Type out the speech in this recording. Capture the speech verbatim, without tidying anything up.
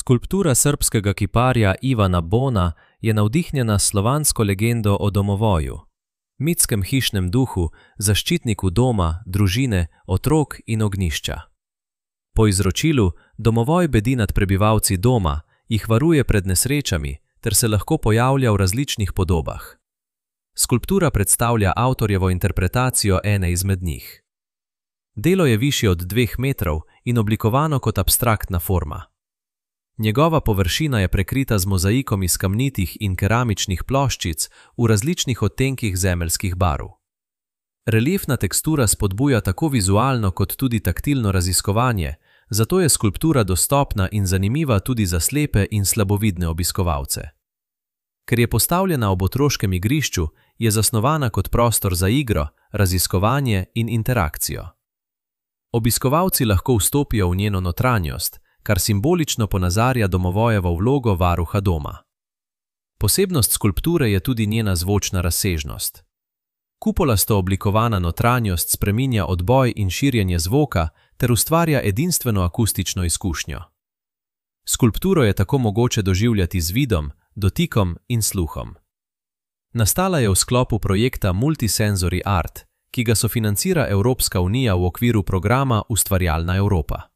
Skulptura srbskega kiparja Ivana Bona je navdihnjena s slovansko legendo o domovoju, mitskem hišnem duhu, zaščitniku doma, družine, otrok in ognjišča. Po izročilu domovoj bedi nad prebivalci doma, jih varuje pred nesrečami ter se lahko pojavlja v različnih podobah. Skulptura predstavlja avtorjevo interpretacijo ene izmed njih. Delo je višje od dveh metrov in oblikovano kot abstraktna forma. Njegova površina je prekrita z mozaikom iz kamnitih in keramičnih ploščic v različnih odtenkih zemeljskih barv. Reliefna tekstura spodbuja tako vizualno kot tudi taktilno raziskovanje, zato je skulptura dostopna in zanimiva tudi za slepe in slabovidne obiskovalce. Ker je postavljena ob otroškem igrišču, je zasnovana kot prostor za igro, raziskovanje in interakcijo. Obiskovalci lahko vstopijo v njeno notranjost, kar simbolično ponazarja domovojevo vlogo varuha doma. Posebnost skulpture je tudi njena zvočna razsežnost. Kupolasto oblikovana notranjost spreminja odboj in širjenje zvoka ter ustvarja edinstveno akustično izkušnjo. Skulpturo je tako mogoče doživljati z vidom, dotikom in sluhom. Nastala je v sklopu projekta Multisensory Art, ki ga sofinancira Evropska unija v okviru programa Ustvarjalna Evropa.